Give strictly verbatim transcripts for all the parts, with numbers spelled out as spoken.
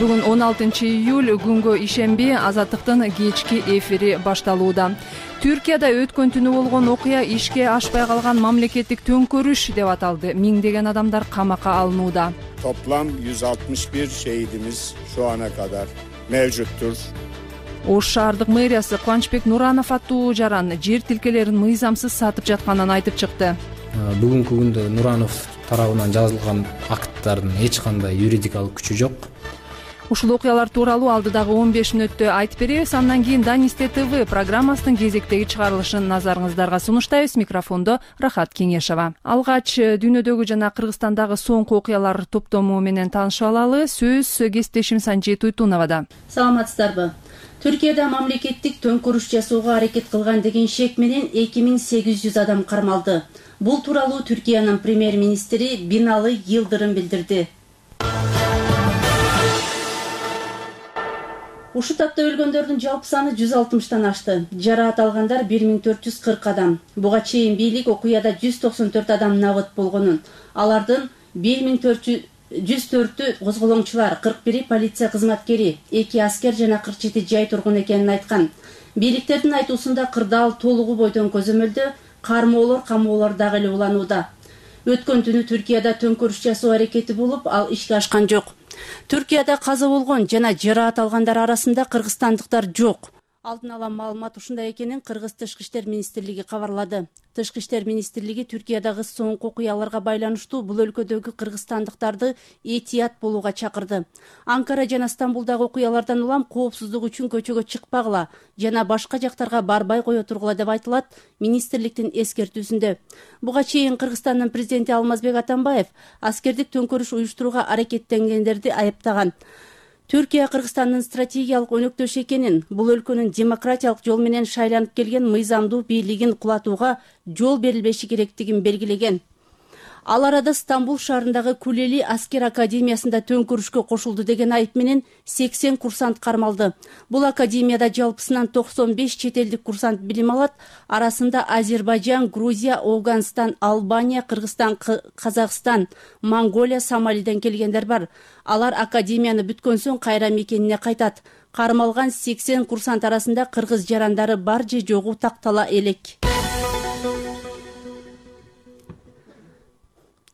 Бүгүн он алтынчы июль, күнгө ишемби, Азаттыктын кечки эфири башталууда. Түркияда өткөн түнү болгон окуя ишке ашпай калган мамлекеттик төңкөрүш деп аталды. Миңдеген адамдар камакка алынууда. Toplam yüz altmış bir şehidimiz şu ana kadar mevcuttur. Ош шаардык мэриясы Кубанычбек Нуранов аттуу жаран жер тилкелерин мыйзамсыз сатып жатканын айтып чыкты. Бүгүнкү күндө Нуранов тарабынан жазылган акттардын эч кандай юридикалык күчү жок. Ушул окуялар тууралуу алдыдагы он беш мүнөттө айтып беребиз. Андан кийин Данисте ТВ программасынын кезектеги чыгарылышын назарыңыздарга сунуштайбыз. Микрофондо Рахат Кеңешова. Алгач дүйнөдөгү жана Кыргызстандагы соңку окуялар топтому менен таанышып алалы. Сөз кесиптешим Санжи Туйтуновада. Саламатсыздарбы? Түркияда мамлекеттик төңкөрүш жасоого аракет кылган деген шек менен эки миң сегиз жүз адам кармалды. Бул тууралуу Түркиянын премьер-министри Бинали Йылдырым билдирди. Ушул тапта өлгөндөрдүн жалпы саны жүз алтымыштан ашты. Жараат алгандар бир миң төрт жүз кырк адам. Буга чейин бийлик окуяда жүз токсон төрт адам набыт болгонун. Алардын бир миң жүз төртү козголоңчулар, кырк бири полиция кызматкери, эки аскер жана кырк жети жай тургун экенин айткан. Бийликтердин айтуусунда кырдаал толугу бойдон көзөмөлдө, кармоолор, камоолор дагы эле уланууда. Өткөн түнү Түркияда төңкөрүш жасоо аракети болуп, ал ишке ашкан жок. Түркияда каза болгон жана жараат алгандар арасында кыргызстандыктар жок. Алдын ала маалымат ушундай экенин Кыргыз Тышкы иштер министрлиги кабарлады. Тышкы иштер министрлиги Түркиядагы соңку окуяларга байланыштуу бул өлкөдөгү кыргызстандыктарды этият болууга чакырды. Анкара жана Стамбулдагы окуялардан улам коопсуздук үчүн көчөгө чыкпагыла жана башка жактарга барбай кое тургула деп айтылат министрликтин эскертүүсүндө. Буга чейин Кыргызстандын президенти Алмазбек Атамбаев аскердик төңкөрүш уюштурууга аракеттенгендерди айыптаган. Түркия Кыргызстандын стратегиялык өнөктөш экенин, бул өлкөнүн демократиялык жол менен шайланып келген мыйзамдуу бийлигин кулатууга жол берилбеши керектигин белгилеген. Ал арада Стамбул шаарындагы Кулели аскер академиясында төңкөрүшкө кошулду деген айып менен сексен курсант кармалды. Бул академияда жалпысынан токсон беш чет элдик курсант билим алат. Арасында Азербайжан, Грузия, Ауганстан, Албания, Кыргызстан, Казакстан, Монголия, Сомалиден келгендер бар. Алар академияны бүткөн соң кайра мекенине кайтат. Кармалган сексен курсант арасында кыргыз жарандары бар же жогу тактала элек.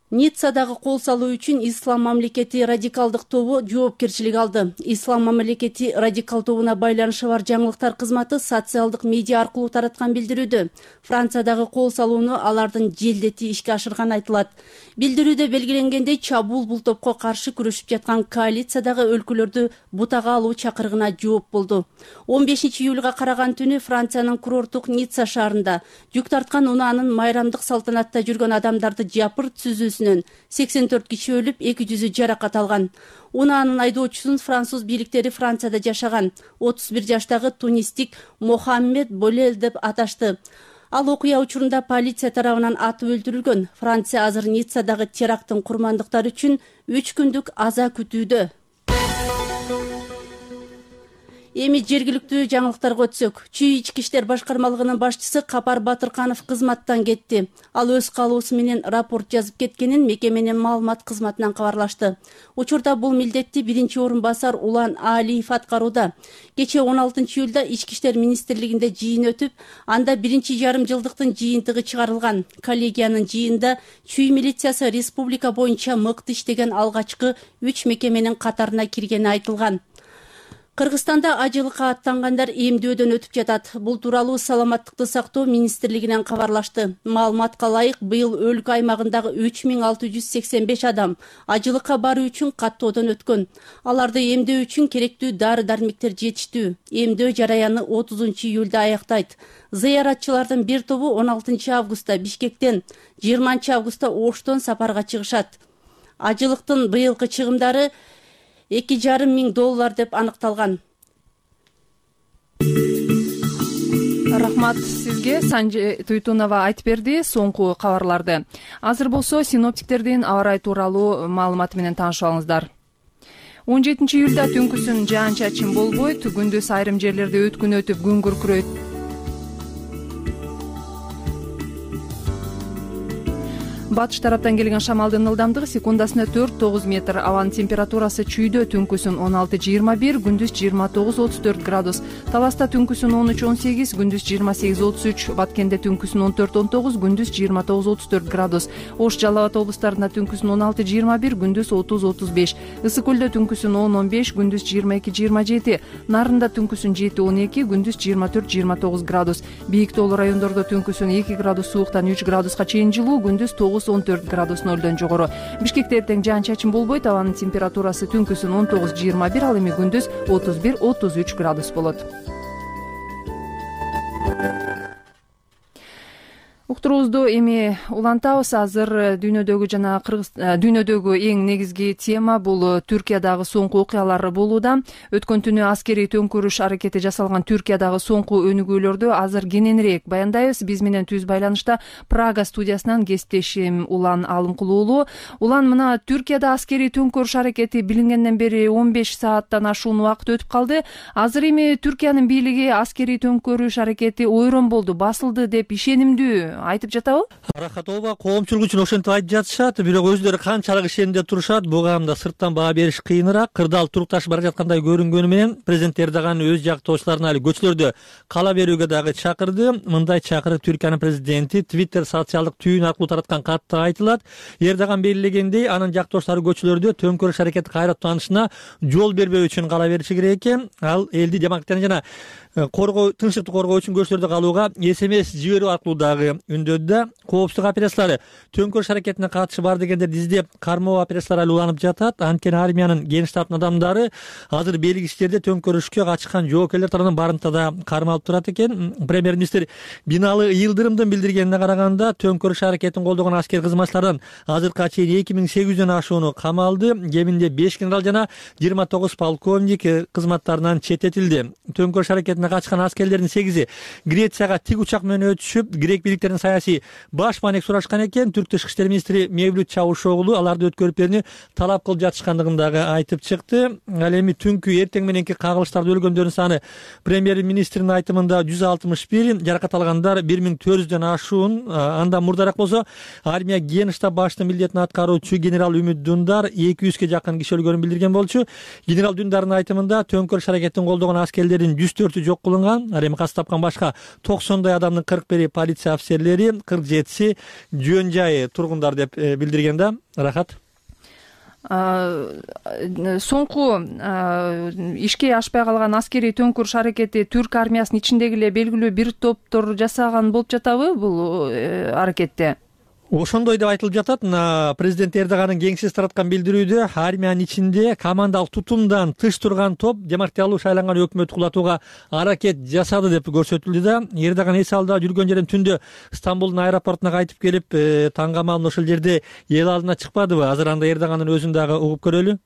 Ниццадагы кол салуу үчүн Ислам мамлекети радикалдык тобу жоопкерчилик алды. Ислам мамлекети радикал тобуна байланышы бар жаңылыктар кызматы социалдык медиа аркылуу тараткан билдирүүдө Франциядагы кол салууну алардын желдети ишке ашырган айтылат. Билдирүүдө белгиленгендей, чабуул бул топко каршы күрөшүп жаткан коалициядагы өлкөлөрдү бутага алуу чакырыгына жооп болду. он бешинчи июлга караган түнү Франциянын курорттук Ницца шаарында жүк тарткан унаанын майрамдык салтанатта жүргөн адамдарды жапырт сүзүүсүнөн сексен төрт киши өлүп, эки жүзү жаракат алган. Унаанын айдоочусун француз бийликтери Францияда жашаган отуз бир жаштагы тунистик Мохаммед Болел деп аташты. Ал окуя учурунда полиция тарабынан атып өлтүрүлгөн. Франция азыр Ниццадагы теракттын курмандыктары үчүн үч күндүк аза күтүүдө. Эми жергиликтүү жаңылыктарга өтсөк, Чүй ички иштер башкармалыгынын башчысы Капар Батырканов кызматтан кетти. Ал өз калуусу менен рапорт жазып кеткенин мекеменин маалымат кызматынан кабарлашты. Учурда бул милдетти биринчи орун басар Улан Алиев аткарууда. Кечээ он алтынчы июлда ички иштер министрлигинде жыйын өтүп, анда биринчи жарым жылдыктын жыйынтыгы чыгарылган. Коллегиянын жыйында Чүй милициясы республика боюнча мыкты иштеген алгачкы үч мекеменин катарына киргени айтылган. Кыргызстанда ажылыкка аттангандар эмдөөдөн өтүп жатат. Бул тууралуу саламаттыкты сактоо министрлигинен кабарлашты. Маалыматка ылайык, быйыл өлкө аймагындагы үч миң алты жүз сексен беш адам ажылыкка баруу үчүн каттоодон өткөн. Аларды эмдөө үчүн керектүү дары-дармектер жетиштүү. Эмдөө жараяны отузунчу июлда аяктайт. Зыяратчылардын бир тобу он алтынчы августта Бишкектен, жыйырманчы августта Оштон сапарга чыгышат. Ажылыктын быйылкы чыгымдары эки жарым миң доллар деп аныкталган. Рахмат сизге, Санжи Туйтунова айтып берди соңку кабарларды. Азыр болсо синоптиктердин аба ырайы тууралуу маалыматы менен таанышып алыңыздар. он жетинчи июлда түнкүсүн жаан-чачын болбойт, күндүз айрым жерлерде өткүн өтүп күн күркүрөйт. Батыш тараптан келген шамалдын ылдамдыгы секундасына төрт тогуз метр. Абанын температурасы чүйдө түнкүсүн он алты жыйырма бир, күндүз жыйырма тогуз отуз төрт градус. Таласта түнкүсүн он үч он сегиз, күндүз жыйырма сегиз отуз үч. Баткенде түнкүсүн он төрт он тогуз, күндүз жыйырма тогуз отуз төрт градус. Ош, Жалал Абад облустарында түнкүсүн он алты жыйырма бир, күндүз отуз отуз беш. Ысык көлдө түнкүсүн он он беш, күндүз жыйырма эки жыйырма жети. Нарында түнкүсүн жети он эки, күндүз жыйырма төрт жыйырма тогуз градус. Бийик тоолуу райондордо түнкүсүн эки градус сууктан үч градуска чейин жылуу, күндүз тогуз он төрт градус нөлдөн жогору. Бишкекте эртең жаан-чачын болбойт. Абанын температурасы түнкүсүн он тогуз жыйырма бир, ал эми күндүз отуз бир отуз үч градус болот. Уктуруубузду эми улантабыз. Азыр дүйнөдөгү жана кыргыз дүйнөдөгү эң негизги тема бул Түркиядагы соңку окуялар болууда. Өткөн түнү аскерий төңкөрүш аракети жасалган Түркиядагы соңку өнүгүүлөрдү азыр кененирээк баяндайбыз. Биз менен түз байланышта Прага студиясынан кесиптешим Улан Алымкул уулу. Улан, мына Түркияда аскерий төңкөрүш аракети билингенден бери он беш сааттан ашуун убакыт өтүп калды. Азыр эми Түркиянын бийлиги аскерий төңкөрүш аракети ойрон болду, басылды деп ишенимдүү айтып жатабы? Рахат ооба, коомчулук үчүн ошентип айтып жатышат, бирок өзлөрү канчалык ишенимде турушат, буга анда сырттан баа бериш кыйыныраак. Кырдаал турукташып бара жаткандай көрүнгөнү менен президент Эрдоган өз жактоочуларына али көчөлөрдө кала берүүгө дагы чакырды. Мындай чакырык Түркиянын президенти Twitter социалдык түйүн аркылуу тараткан катта айтылат. Эрдоган белгилегендей, анын жактоочулары көчөлөрдө төңкөрүш аракети кайра аттанышына жол бербөө үчүн кала бериши керек экен. Ал элди демократияны жана коргоо тынчтыкты коргоо үчүн көчөлөрдө калууга эс эм эс жиберүү аркылуу дагы үндөдү. Коопсуздук операциялары төңкөрүш аракетине катышы бар дегендерди издеп кармоо операциялары али уланып жатат. Анткени армиянын ген штабынын адамдары азыр белгисиздерде төңкөрүшкө катышкан жоокерлер тарабынан барымтада кармалып турат экен. Премьер-министр Биналы Йылдырымдын билдиргенине караганда, төңкөрүш аракетин колдогон аскер кызматчылардан азыркыга чейин эки миң сегиз жүздөн ашууну камалды. Кеминде беш генерал жана жыйырма тогуз полковник кызматтарынан четтетилди. Төңкөрүш аракетине катышкан аскерлердин сегизи Грецияга тик учак менен өтүшүп, грек бийликтеринин саясий баш маанек сурашкан экен. Түрк тышкы иштер министри Мевлют Чавушоглу аларды өткөрүп берүүнү талап кылып жатышкандыгын дагы айтып чыкты. Ал эми түнкү эртең мененки кагылыштарда өлгөндөрдүн саны премьер-министрдин айтымында жүз алтымыш бир, жаракат алгандар бир миң төрт жүздөн ашуун. Андан мурдараак болсо армия ген штаб башчынын милдетин аткаруучу генерал Үмүт Дундар эки жүзгө жакын киши өлгөнүн билдирген болчу. Генерал Дундардын айтымында төңкөрүш аракетин колдогон аскерлердин жүз төртү жок кылынган. Ал эми кас тапкан башка токсондой адамдын кырк бири полиция офицерлери, кырк жетиси жөн жайы тургундар деп билдирген да. Рахат. Соңку ишке ашпай калган аскерий төңкөрүш аракети түрк армиясынын ичиндеги эле белгилүү бир топтор жасаган болуп жатабы бул аракетте? Ошондой деп айтылып жатат. Президент Эрдоганын кеңсеси тараткан билдирүүдө армиянын ичинде командалык тутумдан тыш турган топ демократиялуу шайланган өкмөттү кулатууга аракет жасады деп көрсөтүлдү да. Эрдоган эс алда жүргөн жерден түндө Стамбулдун аэропортуна кайтып келип, таңга маалында ошол жерде эл алдына чыкпадыбы? Азыр анда Эрдогандын өзүн дагы угуп көрөлү.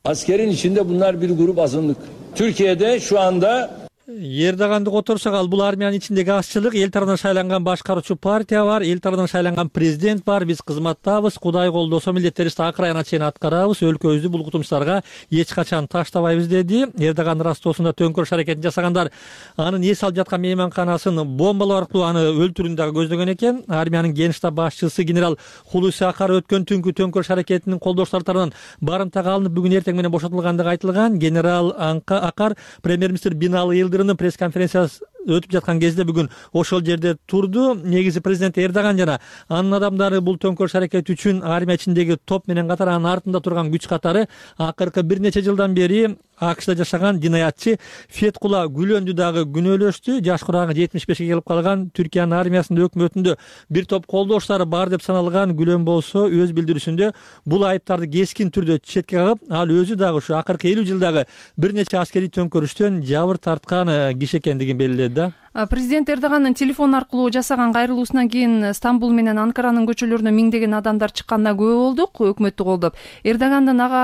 Askerin içinde bunlar bir grup azınlık. Türkiye'de şu anda Эрдоганды которсок, ал бул армиянын ичиндеги азчылык, эл тарабынан шайланган башкаруучу партия бар, эл тарабынан шайланган президент бар. Биз кызматтабыз, Кудай колдосо милдеттерибизди акыр айына чейин аткарабыз, өлкөбүздү бул кутумчуларга эч качан таштабайбыз деди. Эрдоган Ростовсунда төңкөрүш аракетин жасагандар анын эс алып жаткан мейманканасын бомбалоо аркылуу аны өлтүрүүнү дагы көздөгөн экен. Армиянын ген штаб башчысы генерал Хулуси Акар өткөн түнкү төңкөрүш аракетинин колдошчулары тарабынан барымтага алынып, бүгүн эртең менен бошотулгандыгы айтылган. Генерал Акар премьер-министр Биналы Йылдырымдын пресс-конференциясы өтүп жаткан кезде бүгүн ошол жерде турду. Негизи президент Эрдоган жана анын адамдары бул төңкөрүш аракети үчүн армия ичиндеги топ менен катар анын артында турган күч катары акыркы бир нече жылдан бери АКШда жашаган жинаятчы Феткула Гүлөндү дагы күнөөлөштү. Жаш курагы жетимиш бешке келип калган Түркиянын армиясынын өкмөтүндө бир топ колдоштары бар деп саналган Гүлөн болсо өз билдирүүсүндө бул айыптарды кескин түрдө четке кагып, ал өзү дагы ушу акыркы элүү жылдагы бир нече аскерий төңкөрүштөн жабыр тарткан киши экендигин белгиледи да. Президент Эрдоганын телефон аркылуу жасаган кайрылуусунан кийин Стамбул менен Анкаранын көчөлөрүнө миңдеген адамдар чыкканына күбө болдук, өкмөттү колдоп. Эрдогандын ага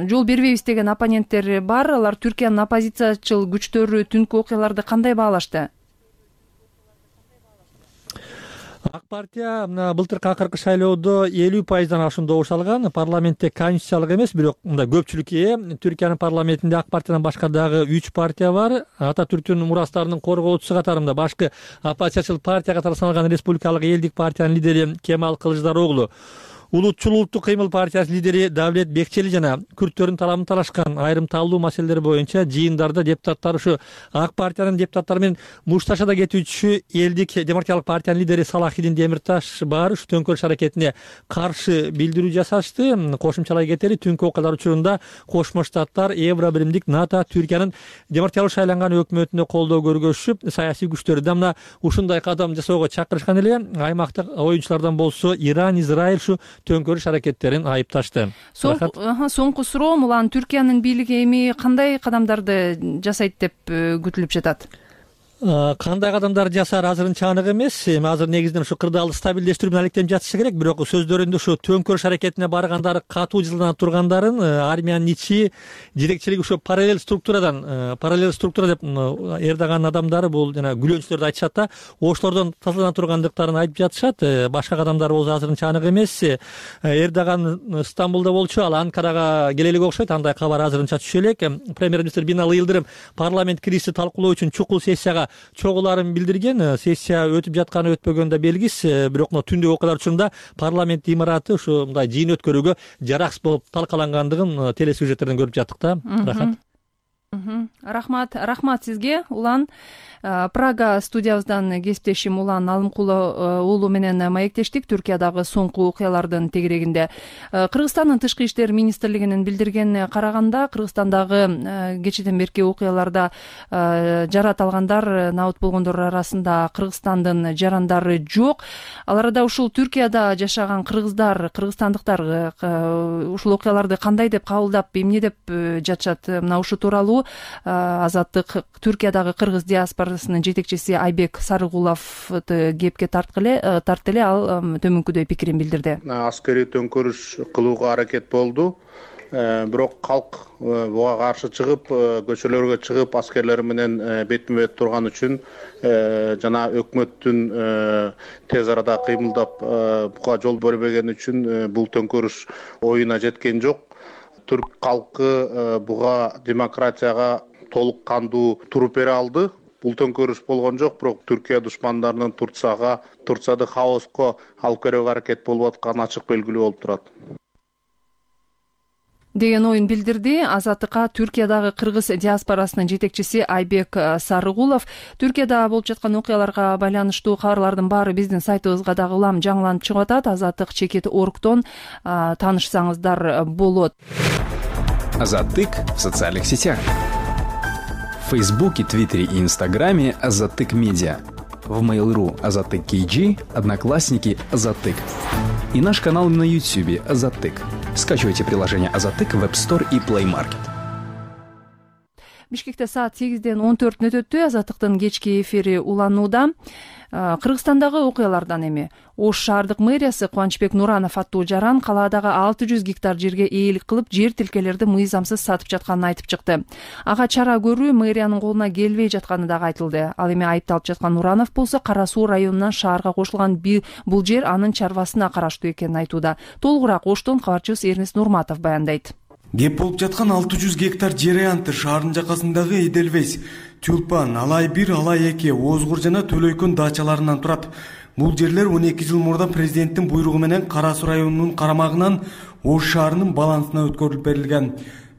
жол бербейбиз деген оппоненттери бар. Алар Түркиянын оппозициячыл күчтөрү түнкү окуяларды кандай баалашты? ак партия былтыркы акыркы шайлоодо элүү пайыздан ашуун добуш алган. Парламентте конституциялык эмес, бирок мындай көпчүлүккө ээ. Түркиянын парламентинде ак партиядан башка дагы үч партия бар. Ата Түрктүн мурастарынын коргоочусу катарында башкы оппозициячыл партия катары саналган Республикалык элдик партиянын лидери Кемал Кылычдароглу, Улутчул улуттук кыймыл партиясынын лидери Давлет Бекчели жана күрттөрдүн талабын талашкан айрым талдуу маселелер боюнча жыйындарда депутаттар ушу ак партиянын депутаттары менен мушташада кетүүчү элдик демократиялык партиянын лидери Салахидин Демирташ бар ушу төңкөрүш аракетине каршы билдирүү жасашты. Кошумчалай кетели, түнкү окуялар учурунда Кошмо Штаттар Евро биримдик НАТО Түркиянын демократиялык шайланган өкмөтүнө колдоо көргөзүшүп, саясий күчтөрү да мына ушундай кадам жасоого чакырышкан эле. Аймактык оюучулардан болсо Иран, Израиль ушу төңкөрүш аракеттерин айыпташты. Соңку суроо, улан Түркиянын бийлиги эми кандай кадамдарды жасайт деп күтүлүп жатат? Кандай кадамдар жасар азырынча анык эмес. Эми азыр негизинен ушу кырдаалды стабилдештирүү менен алектенип жатышы керек. Бирок сөздөрүндө ушу төңкөрүш аракетине баргандары катуу жылданып тургандарын, армиянын ичи жетекчилиги ушу параллель структурадан, параллель структура деп Эрдоган адамдары бул жана күлөнчүлөрдү айтышат да, ошолордон тазалана тургандыктарын айтып жатышат. Башка кадамдар болсо азырынча анык эмес. Эрдоган Стамбулда болчу, ал Анкарага келе элек окшойт. Андай кабар азырынча түшө элек. Премьер-министр Бинали Йылдырым парламент кирişти талкуулоо үчүн чукул сессияга чогуларын билдирген. Сессия өтүп жатканы өтпөгөнү да белгис. Бирок түндүк окуялар учурунда парламент имараты ушу мындай жыйын өткөрүүгө жараксыз болуп талкалангандыгын телесюжеттерден көрүп жаттык да. Рахат. Рахмат, рахмат сизге. Улан Прага студиябыздан кесиптешим Улан Алымкулов уулу менен маектештик Түркиядагы соңку окуялардын тегерегинде. Кыргызстандын тышкы иштер министрлигинин билдиргенине караганда, Кыргызстандагы кечеден берки окуяларда жарат алгандар, набыт болгондор арасында Кыргызстандын жарандары жок. Аларда ушул Түркияда жашаган кыргыздар, кыргызстандыктар ушул окуяларды кандай деп кабылдап, эмне деп жатышат? Мына ушу тууралуу Азаттык Түркиядагы кыргыз диаспорасынын жетекчиси Айбек Сарыгуловду кепке тартты эле. Ал төмөнкүдөй пикирин билдирди. Аскерий төңкөрүш кылууга аракет болду. Бирок калк буга каршы чыгып, көчөлөргө чыгып, аскерлер менен бетме бет турган үчүн жана өкмөттүн тез арада кыймылдап буга жол бербеген үчүн бул төңкөрүш оюна жеткен жок. Түрк калкы буга демократияга толук кандуу туруп бере алды. Бул төңкөрүш болгон жок, бирок Түркия душмандарынын Турцияга, Турцияды хаоска алып келүүгө аракет болуп атканы ачык белгилүү болуп турат деген оюн билдирди. Азаттыкка Түркиядагы кыргыз диаспорасынын жетекчиси Айбек Сарыгулов. Түркияда болуп жаткан окуяларга байланыштуу кабарлардын баары биздин сайтыбызга дагы улам жаңыланып чыгып атат. Азаттык чекит оргтон таанышсаңыздар болот. Азаттык в социальных сетях. В Фейсбуке, Твиттере и Инстаграме Азаттык Медиа. В Mail.ru Азаттык кей джи, Одноклассники Азаттык. И наш канал на Ютубе Азаттык. Скачивайте приложение Азаттык в App Store и Play Market. Бишкекте саат сегизден он төрт өтөттү. Азаттыктын кечки эфири уланууда. Кыргызстандагы окуялардан эми Ош шаардык мэриясы Кубанычбек Нуранов аттуу жаран калаадагы алты жүз гектар жерге ээлик кылып, жер тилкелерди мыйзамсыз сатып жатканын айтып чыкты. Ага чара көрүү мэриянын колуна келбей жатканы дагы айтылды. Ал эми айыпталып жаткан Нуранов болсо Кара Суу районунан шаарга кошулган бул жер анын чарбасына караштуу экенин айтууда. Толугураак Оштон кабарчыбыз Эрнест Нурматов баяндайт. Кеп болуп жаткан алты жүз гектар жер аянты шаардын жакасындагы Эделвес, Тюлпан, Алай бир, Алай эки, Озгур жана Төлөйкөн дачаларынан турат. Бул жерлер он эки жыл мурда президенттин буйругу менен Кара Суу районунун карамагынан Ош шаарынын балансына өткөрүлүп берилген.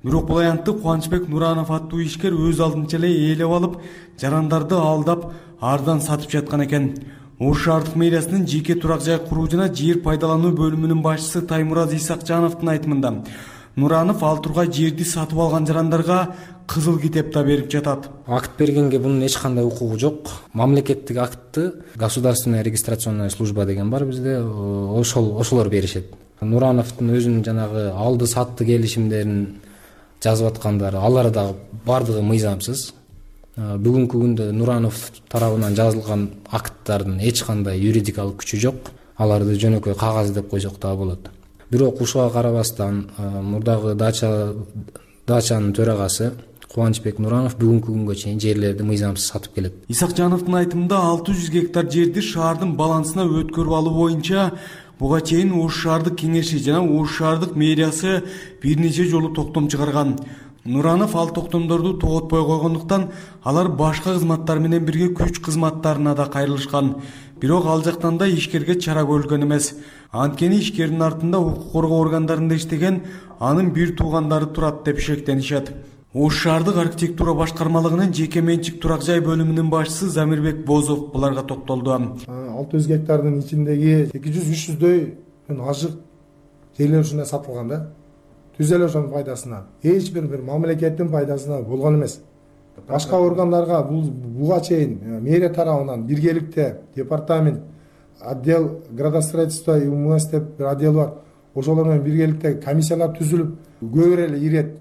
Бирок бул аянтты Кубанычбек Нуранов аттуу ишкер өз алдынча эле ээлеп алып, жарандарды алдап, ардан сатып жаткан экен. Ош шаардык мэриясынын жеке турак жай куруу жана жер пайдалануу бөлүмүнүн башчысы Таймураз Исакжановдун айтымында Нуранов ал тургай жерди сатып алган жарандарга кызыл китеп да берип жатат. Акт бергенге бунун эч кандай укугу жок. Мамлекеттик актты государственная регистрационная служба деген бар бизде, ошол ошолор беришет. Нурановдун өзүнүн жанагы алды сатты келишимдерин жазып аткандары, алар да бардыгы мыйзамсыз. Бүгүнкү күндө Нуранов тарабынан жазылган акттардын эч кандай юридикалык күчү жок. Аларды жөнөкөй кагаз деп койсок да болот. Бирок ушуга карабастан мурдагы дача дачанын төрагасы Кубанычбек Нуранов бүгүнкү күнгө чейин жерлерди мыйзамсыз сатып келет. Исакжановдун айтымында алты жүз гектар жерди шаардын балансына өткөрүп алуу боюнча буга чейин Ош шаардык кеңеши жана Ош шаардык мэриясы бир нече жолу токтом чыгарган. Нуранов ал токтомдорду тоготпой койгондуктан алар башка кызматтар менен бирге күч кызматтарына да кайрылышкан. Бирок ал жактан да ишкерге чара көрүлгөн эмес. Анткени ишкердин артында укук коргоо органдарында иштеген анын бир туугандары турат деп шектенишет. Ош шаардык архитектура башкармалыгынын жеке менчик турак жай бөлүмүнүн башчысы Замирбек Бозов буларга токтолду. алты жүз гектардын ичиндеги эки жүз үч жүздөй ажык жерлер ушундай сатылган да. Түз элүү сом пайдасына, эч бир бир мамлекеттин пайдасына болгон эмес. Башка органдарга бул буга чейин мэрия тарабынан биргеликте департамент, отдел градостроительства и УМС деп бир отдел бар. Ошолор менен биргеликте комиссиялар түзүлүп, көбүрөөк эле ирет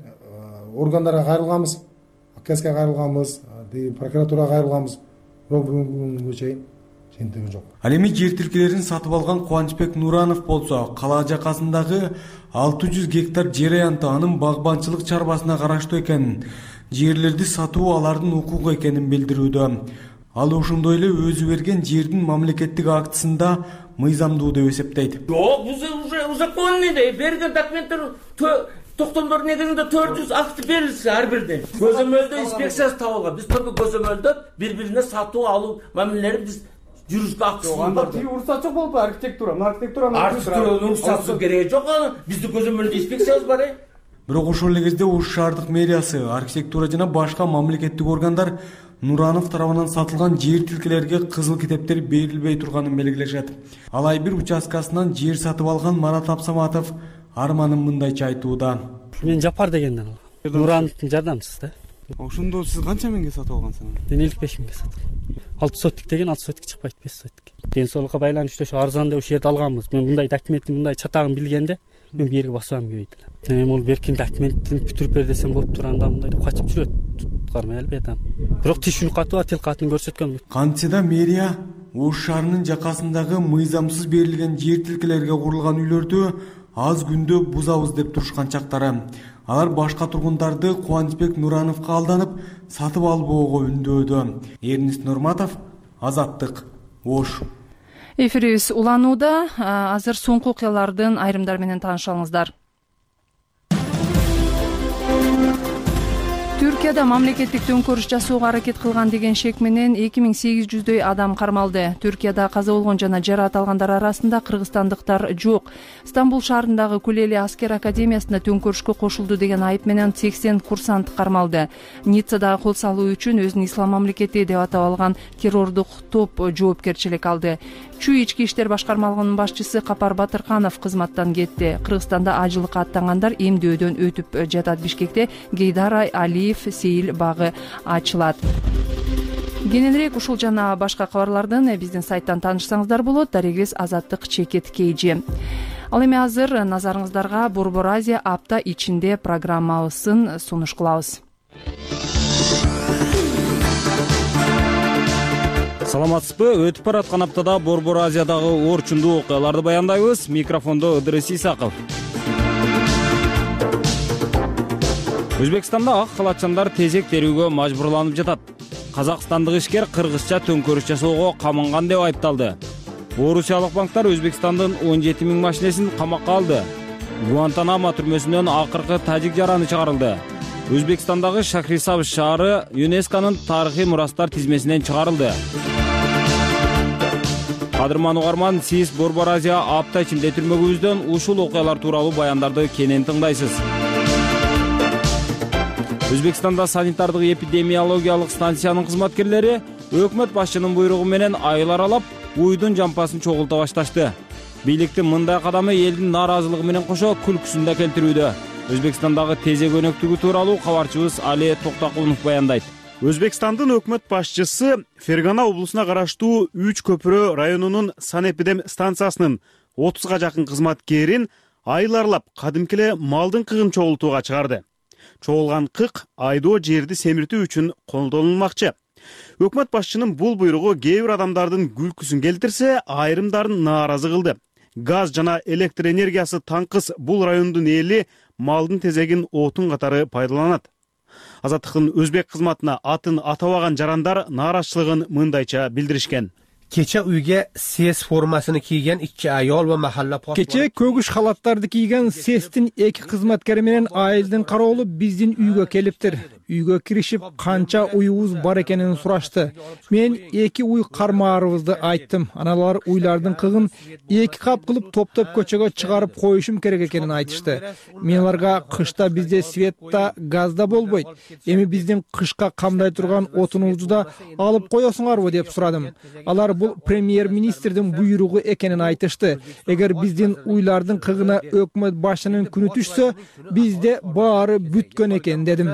органдарга кайрылганбыз, АКСке кайрылганбыз, прокуратурага кайрылганбыз. Бирок бүгүнкү күнгө чейин чентеги жок. Ал эми жер тилкелерин сатып алган Кубанычбек Нуранов болсо, кала жакасындагы алты жүз гектар жер аянты анын багбанчылык чарбасына караштуу экенин, жерлерди сатуу алардын укугу экенин билдирүүдө. Ал ошондой эле өзү берген жердин мамлекеттик актысында мыйзамдуу деп эсептейт. Жок, бул уже узаконный да, берген документтер токтомдор негизинде төрт жүз акт берилсе ар бирден. Көзөмөлдө инспекциясы табылган. Биз только көзөмөлдө бири-бирине сатуу алуу мамилелери биз жүрүшкө акысыз бар. Анда уруксат жок болду архитектура, архитектуранын архитектуранын уруксаты кереги жок анын. Биздин көзөмөлдө инспекциябыз бар. Бирок ошол эле кезде Ош шаардык мэриясы, архитектура жана башка мамлекеттик органдар Нуранов тарабынан сатылган жер тилкелерге кызыл китептер берилбей турганын белгилешет. Алай бир участкасынан жер сатып алган Марат Абсаматов арманын мындайча айтууда. Мен Жапар дегенден алгам. Нурановдун жардамчысы да. Ошондо сиз канча миңге сатып алгансыңыз? Мен элүү беш миңге сатып алдым. алты сотик деген алты сотик чыкпайт, беш сотик. Ден соолукка байланыштуу ошо арзан деп ушул жерди алганбыз. Мен мындай документтин мындай чатагын билгенде мен бу жерге басам кебейт элем. Эми ол беркен документин бүтүрүп бер десем болуп турганда мындай деп качып жүрөт. Туткармай албайт. Бирок тишүүнү каты бар, тил катын көрсөткөн. Кантсе да мэрия Ош шаарынын жакасындагы мыйзамсыз берилген жер тилкелерге курулган үйлөрдү аз күндө бузабыз деп турушкан чактары. Алар башка тургундарды Кубанычбек Нурановго алданып, сатып албоого үндөөдө. Эрнист Нурматов, Азаттык, Ош. Эфирибиз уланууда. Азыр соңку окуялардын айрымдары менен таанышалыңыздар. Түркияда мамлекеттик төңкөрүш жасоого аракет кылган деген шек менен эки миң сегиз жүздөй адам кармалды. Түркияда каза болгон жана жараат алгандар арасында кыргызстандыктар жок. Стамбул шаарындагы Кулели аскер академиясында төңкөрүшкө кошулду деген айып менен сексен курсант кармалды. Ниццадагы кол салуу үчүн өзүн ислам мамлекети деп атап алган террордук топ жоопкерчилик алды. Чүй ички иштер башкармалыгынын башчысы Капар Батырканов кызматтан кетти. Кыргызстанда ажылыкка аттангандар эмдөөдөн өтүп жатат. Бишкекте Гейдар Алиев сейил багы ачылат. Кененирээк ушул жана башка кабарлардын биздин сайттан таанышсаңыздар болот. Дарегибиз Азаттык чекит кейжи. Ал эми азыр назарыңыздарга Борбор Азия апта ичинде программабызын сунуш кылабыз. Саламатсызбы? Өтүп бараткан аптада Борбор Азиядагы орчундуу окуяларды баяндайбыз. Микрофондо Ыдырыс Исаков. Өзбекстанда ак халатчандар тезек терүүгө мажбурланып жатат. Казакстандык ишкер кыргызча төңкөрүш жасоого каманган деп айыпталды. Орусиялык банктар Өзбекстандын он жети миң машинесин камакка алды. Гуантанамо түрмөсүнөн акыркы тажик жараны чыгарылды. Өзбекстандагы Шахрисабз шаары ЮНЕСКОнун тарыхый мурастар тизмесинен чыгарылды. Кадырман угарман, сиз Борбор Азия апта ичинде түрмөгүбүздөн ушул окуялар тууралуу баяндарды кенен тыңдайсыз. Өзбекстанда санитардык эпидемиологиялык станциянын кызматкерлери өкмөт башчынын буйругу менен айыл аралап, уйдун жампасын чогулта башташты. Бийликтин мындай кадамы элдин нааразылыгы менен кошо күлкүсүн да келтирүүдө. Өзбекстандагы тезек өнөктүгү тууралуу кабарчыбыз Али Токтакулов баяндайт. Өзбекстандын өкмөт башчысы Фергана облусуна караштуу үч көпүрө районунун санэпидем станциясынын отузга жакын кызматкерин айыл аралап кадимки эле малдын кыгын чогултууга чыгарды. Чогулган кык айдоо жерди семиртүү үчүн колдонулмакчы. Өкмөт башчынын бул буйругу кээ бир адамдардын күлкүсүн келтирсе, айрымдарын нааразы кылды. Газ жана электр энергиясы таңкыс бул райондун эли малдын тезегин отун катары пайдаланат. Азаттыктын өзбек кызматына атын атабаган жарандар нааразычылыгын мындайча билдиришкен. Kecha uyga ses formasini kiygan ikki ayol va mahalla Kecha kөгүш халаттарды кийген сестин эки кызматкери менен айылдын кароолу биздин үйгө келиптир. Үйгө киришип, канча уйубуз бар экенин сурашты. Мен эки уй кармаарыбызды айттым. Аналар уйлардын кыгын эки кап кылып топтоп көчөгө чыгарып коюшум керек экенин айтышты. Мен аларга кышта бизде свет да, газ да болбойт. Эми биздин кышка камдай турган отунубузду да алып коесуңарбы деп сурадым. Алар бул премьер-министрдин буйругу экенин айтышты. Эгер биздин уйлардын кыгына өкмөт башчынын күнү түшсө, бизде баары бүткөн экен дедим.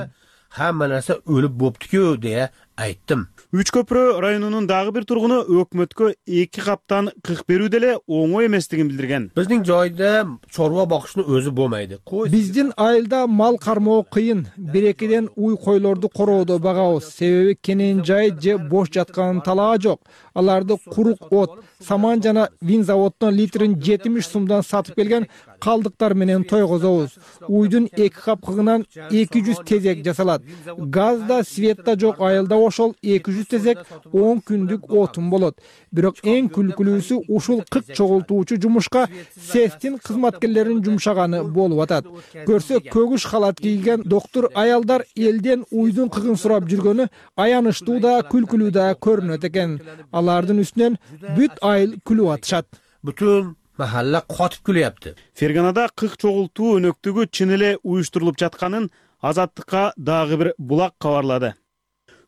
Hamma narsa o'lib bo'pti-ku deya aytdim. Үч көпүрө районунун дагы бир тургуну өкмөткө эки каптан кык берүү деле оңой эместигин билдирген. Биздин жойдо чорва бакышны өзү болмайды. Биздин айылда мал кармоо кыйын. Бир-экиден уй койлорду короодо багабыз. Себеби кенен жай же бош жаткан талаа жок. Аларды курук от, саман жана вин заводдон литрин жетимиш сумдан сатып келген калдыктар менен тойгозобуз. Уйдун эки кап кыгынан эки жүз тезек жасалат. Газ да, свет да жок айылда ошол эки жүз тезек он күндүк отун болот. Бирок эң күлкүлүүсү ушул кырк чогултуучу жумушка сестин кызматкерлеринин жумшаганы болуп атат. Көрсө көгүш халат кийген доктор аялдар элден уйдун кыгын сурап жүргөнү аянычтуу да, күлкүлүү да көрүнөт экен. Алардын үстүнөн бүт айыл күлүп атышат. Бүтүн mahalla qotib kulyapti. Ferganada кырк чогултуу өнөктүгү чын эле уюштурулуп жатканын Азаттыкка дагы бир булак кабарлады.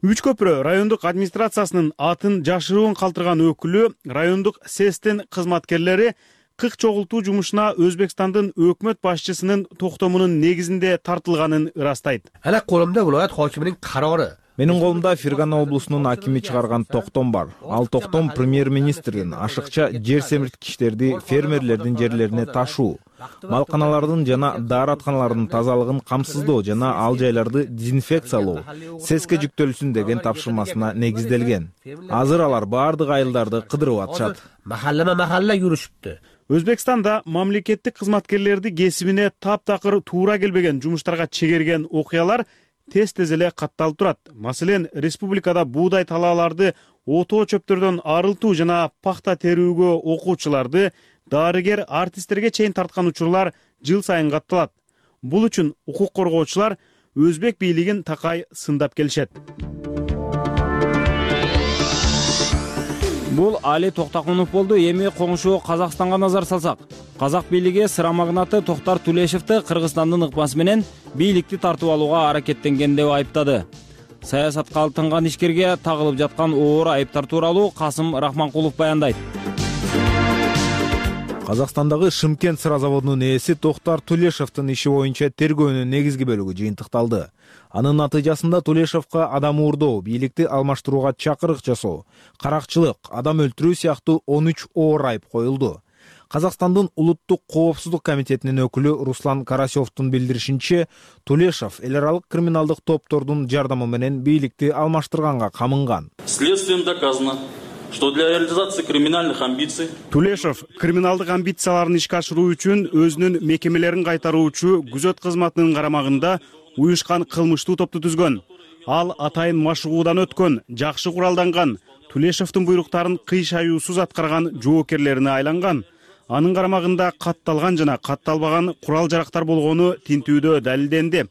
Үч көпүрө райондук администрациясынын атын жашыруун калтырган өкүлү райондук сестин кызматкерлери кырк чогултуу жумушуна Өзбекстандын өкмөт башчысынын токтомунун негизинде тартылганын ырастайт. Ана колумда viloyat hokimining qarori. Менин колумда Фергана облусунун акими чыгарган токтом бар. Ал токтом премьер-министрдин ашыкча жер семирткичтерди фермерлердин жерлерине ташуу, малканалардын жана дааратканалардын тазалыгын камсыздоо жана ал жайларды дезинфекциялоо сеске жүктөлсүн деген тапшырмасына негизделген. Азыр алар баардык айылдарды кыдырып атышат. Mahallama mahalla yurishibdi. Өзбекстанда мамлекеттик кызматкерлерди кесибине таптакыр туура келбеген жумуштарга чегерген окуялар тез-тез эле катталып турат. Маселен, республикада буудай талааларды отоо чөптөрдөн арылтуу жана пахта терүүгө окуучуларды, дарыгер, артисттерге чейин тарткан учурлар жыл сайын катталат. Бул үчүн укук коргоочулар өзбек бийлигин такай сындап келишет. Бул Али Токтакунов болду. Эми коңшу Казакстанга назар салсак. Казак бийлиги сыра магнаты Токтар Тулешевди Кыргызстандын ыкмасы менен бийликти тартып алууга аракеттенген деп айыптады. Саясатка алынган ишкерге тагылып жаткан оор айыптар тууралуу Касым Рахманкулов баяндайт. Казакстандагы Шымкент сыра заводунун ээси Токтар Тулешевдин иши боюнча тергөөнүн негизги бөлүгү жыйынтыкталды. Анын натыйжасында Тулешевге адам уурдоо, бийликти алмаштырууга чакырык жасоо, каракчылык, адам өлтүрүү сыяктуу он үч оор айып коюлду. Казакстандын улуттук коопсуздук комитетинин өкүлү Руслан Карасевдун билдиришинче, Тулешев эл аралык криминалдык топтордун жардамы менен бийликти алмаштырганга камынган. Следствием доказано, что для реализации криминальных амбиций Тулешев криминалдык амбицияларын ишке ашыруу үчүн өзүнүн мекемелерин кайтаруучу күзөт кызматынын карамагында уюшкан кылмыштуу топту түзгөн. Ал атайын машыгуудан өткөн, жакшы куралданган, Тулешевдин буйруктарын кыйшаюусуз аткарган жоокерлерине айланган. Анын карамагында катталган жана катталбаган курал-жарактар болгону тинтүүдө далилденди.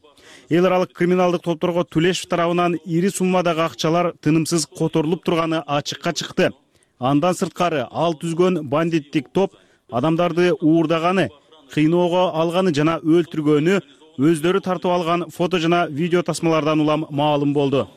Эл аралык криминалдык топторго Тулешев тарабынан ири суммадагы акчалар тынымсыз которулуп турганы ачыкка чыкты. Андан сырткары ал түзгөн бандиттик топ адамдарды уурдаганы, кыйноого алганы жана өлтүргөнү өздөрү тартып алган фото жана видео тасмалардан улам маалым болду.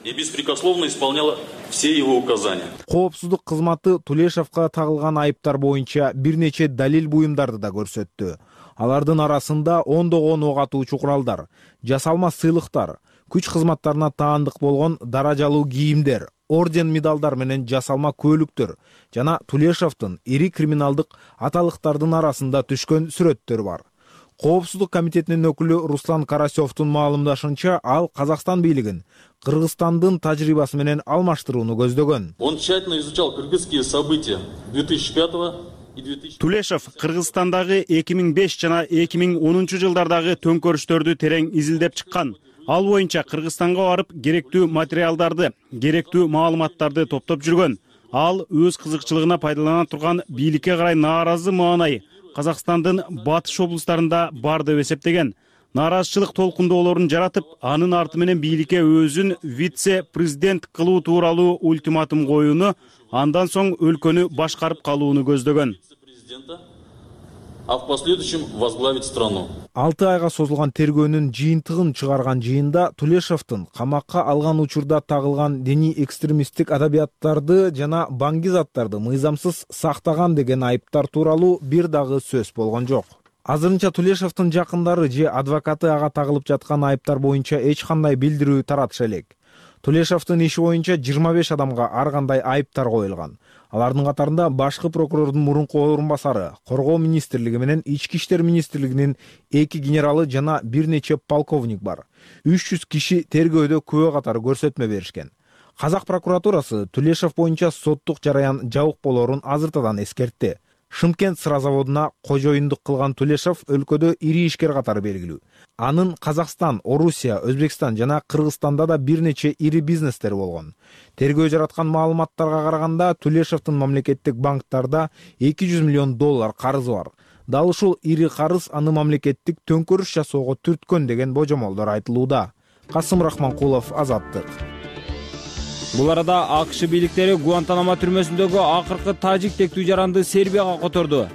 И беспрекословно исполняла все его указания. Коопсуздук кызматы Тулешевге тагылган айыптар боюнча бир нече далил буюмдарды да көрсөттү. Алардын арасында ондогон ок атуучу куралдар, жасалма сыйлыктар, күч кызматтарына таандык болгон даражалуу кийимдер, орден медалдар менен жасалма көлүктөр жана Тулешевдин ири криминалдык аталыктардын арасында түшкөн сүрөттөр бар. Коопсуздук комитетинин өкүлү Руслан Карасевдун маалымдашынча, ал Казакстан бийлигин Кыргызстандын тажрыйбасы менен алмаштырууну көздөгөн. Он тщательно изучал кыргызские события две тысячи пятого и две тысячи Тулешев Кыргызстандагы эки миң беш жана эки миң онунчу жылдардагы төңкөрүштөрдү терең изилдеп чыккан. ал боюнча Кыргызстанга барып керектүү материалдарды, керектүү маалыматтарды топтоп жүргөн. Ал өз кызыкчылыгына пайдалана турган бийликке карай нааразы маанай Казакстандын батыш облустарында бар деп эсептеген. Нааразычылык толкундоолорун жаратып, анын арты менен бийликке өзүн вице-президент кылуу тууралуу ультиматум коюуну, андан соң өлкөнү башкарып калууну көздөгөн. А в последующем возглавить страну. алты айга созулган тергөөнүн жыйынтыгын чыгарган жыйында Тулешовдун камакка алган учурда тагылган диний экстремисттик адабияттарды жана баңгизаттарды мыйзамсыз сактаган деген айыптар тууралуу бир дагы сөз болгон жок. Азырынча Тулешовдун жакындары же адвокаты ага тагылып жаткан айыптар боюнча эч кандай билдирүү таратыша элек. Тулешовдун иши боюнча жыйырма беш адамга ар кандай айыптар коюлган. Алардын катарында башкы прокурордун мурунку орун басары, Коргоо министрлиги менен Ички иштер министрлигинин эки генералы жана бир нече полковник бар. үч жүз киши тергөөдө күбө катары көрсөтмө беришкен. Казак прокуратурасы Тулешов боюнча соттук жараян жабык болорун азыртадан эскертти. Шымкент сыра заводуна кожоюндук кылган Тулешов өлкөдө ири ишкер катары белгилүү. Анын Казакстан, Орусия, Өзбекстан жана Кыргызстанда да бир нече ири бизнестер болгон. Тергөө жараткан маалыматтарга караганда Тулешовдун мамлекеттик банктарда эки жүз миллион доллар карызы бар. Дал ушул ири карыз аны мамлекеттик төңкөрүш жасоого түрткөн деген божомолдор айтылууда. Касым Рахманкулов, Азаттык. Бул арада АКШ бийликтери Гуантанамо түрмөсүндөгү акыркы тажик тектүү жаранды Сербияга которду.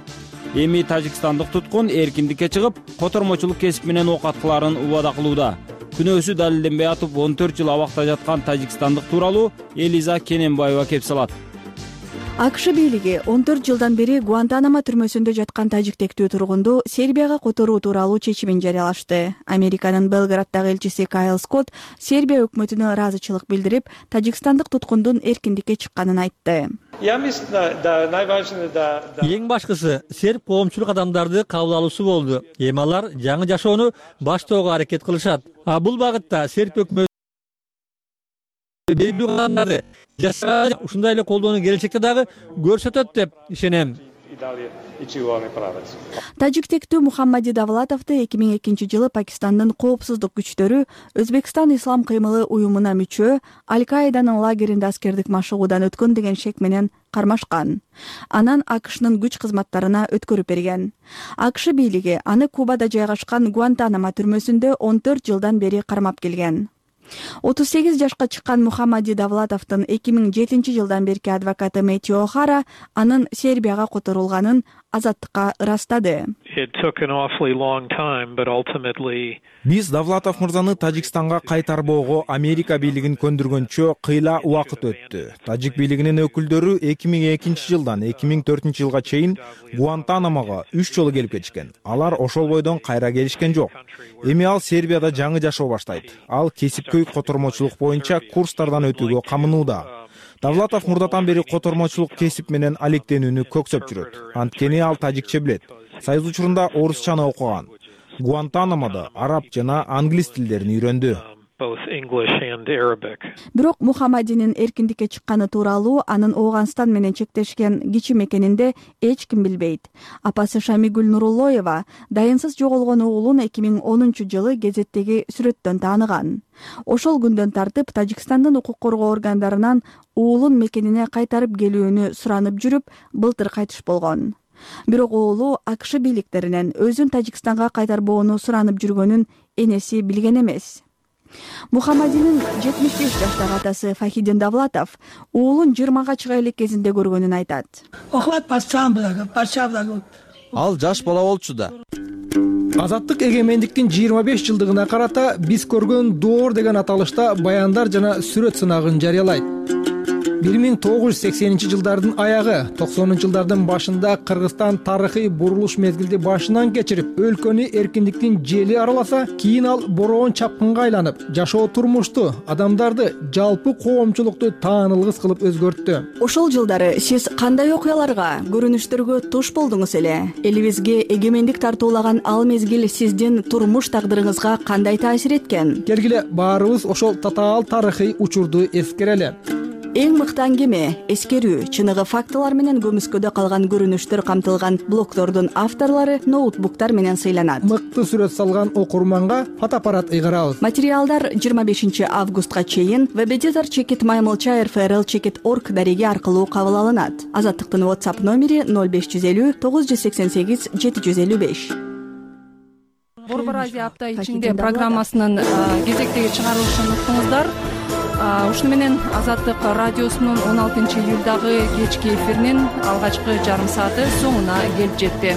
Эми тажикстандык туткун эркиндикке чыгып, котормочулук кесип менен ок аткыларын убада кылууда. Күнөөсү далилденбей атып он төрт жыл абакта жаткан тажикстандык тууралуу Элиза Кененбаева кеп салат. АКШ бийлиги он төрт жылдан бери Гуантанамо түрмөсүндө жаткан тажиктектүү тургунду Сербияга которуу тууралуу чечимин жарыялашты. Американын Белграддагы элчиси Кайл Скотт Сербия өкмөтүнө ыраазычылык билдирип, тажикстандык туткундун эркиндикке чыкканын айтты. Эң башкысы серб коомчулук адамдарды кабыл алуусу болду. Эми алар жаңы жашоону баштоого аракет кылышат. А бул багытта серб өкмөтү белгилүү кадамдарды жасаган, ушундай эле колдоону келечекте дагы көрсөтөт деп ишенем. Тажиктектүү Мухаммади Давлатовду эки миң экинчи жылы Пакистандын коопсуздук күчтөрү Өзбекстан Ислам кыймылы уюмуна мүчө Аль-Каиданын лагеринде аскердик машыгуудан өткөн деген шек менен кармашкан. Анан АКШнын күч кызматтарына өткөрүп берген. АКШ бийлиги аны Кубада жайгашкан Гуантанамо түрмөсүндө он төрт жылдан бери кармап келген. отуз сегиз жашка чыккан Мухаммади Давлатовдун эки миң жетинчи жылдан берки адвокаты Мэтью О'Хара анын Сербияга которулганын Азаттыкка ырастады. Биз Давлатов мырзаны Тажикстанга кайтарбоого Америка бийлигин көндүргөнчө кыйла убакыт өттү. Тажик бийлигинин өкүлдөрү эки миң экинчи жылдан эки миң төртүнчү жылга чейин Гуантанамого үч жолу келип кетишкен. Алар ошол бойдон кайра келишкен жок. Эми ал Сербияда жаңы жашоо баштайт. Ал кесипкөй котормочулук боюнча курстардан өтүүгө камынууда. Давлатов мурдатан бери котормочулук кесип менен алектенүүнү көксөп жүрөт. Анткени ал тажикче билет. Союз учурунда орусчаны окуган. Гуантанамодо араб жана англис тилдерин үйрөндү. Бирок Мухаммадинин эркиндикке чыкканы тууралуу анын Ооганстан менен чектешкен кичи мекенинде эч ким билбейт. Апасы Шамигүл Нуруллоева дайынсыз жоголгон уулун эки миң онунчу жылы гезеттеги сүрөттөн тааныган. Ошол күндөн тартып Тажикстандын укук коргоо органдарынан уулун мекенине кайтарып келүүнү суранып жүрүп, былтыр кайтыш болгон. Бирок уулу АКШ бийликтеринен өзүн Тажикстанга кайтарбоону суранып жүргөнүн энеси билген эмес. Мухаммадинин жетимиш беш жаштагы атасы Фахидин Давлатов уулун жыйырмага чыга элек кезинде көргөнүн айтат. Ал жаш бала болчу да. Азаттык эгемендиктин жыйырма беш жылдыгына карата биз көргөн доор деген аталышта баяндар жана сүрөт сынагын жарыялайт. бир миң тогуз жүз сексенинчи жылдардын аягы, токсонунчу жылдардын башында Кыргызстан тарыхый бурулуш мезгилди башынан кечирип, өлкөнү эркиндиктин жели араласа, кийин ал бороон чапкынга айланып, жашоо турмушту, адамдарды, жалпы коомчулукту таанылгыс кылып өзгөрттү. Ошол жылдары сиз кандай окуяларга, көрүнүштөргө туш болдуңуз эле? Элибизге эгемендик тартуулаган ал мезгил сиздин турмуш тагдырыңызга кандай таасир эткен? Келгиле баарыбыз ошол татаал тарыхый учурду эскерели. эң мыкты аңгеме, эскерүү, чыныгы фактылар менен көмүскөдө калган көрүнүштөр камтылган блогдордун авторлору ноутбуктар менен сыйланат. Мыкты сүрөт салган окурманга фотоаппарат ыйгарабыз. Материалдар жыйырма бешинчи августка чейин вебедитор чекит маймылча рфрл чекит орг дареги аркылуу кабыл алынат. Азаттыктын WhatsApp номери ноль беш жүз элүү тогуз жүз сексен сегиз жети жүз элүү беш. Борбор Азия апта ичинде программасынын кезектеги чыгарылышын уктуңуздар. Ушуну менен Азаттык радиосунун он алтынчы июлдагы кечки эфиринин алгачкы жарым сааты соңуна келип жетти.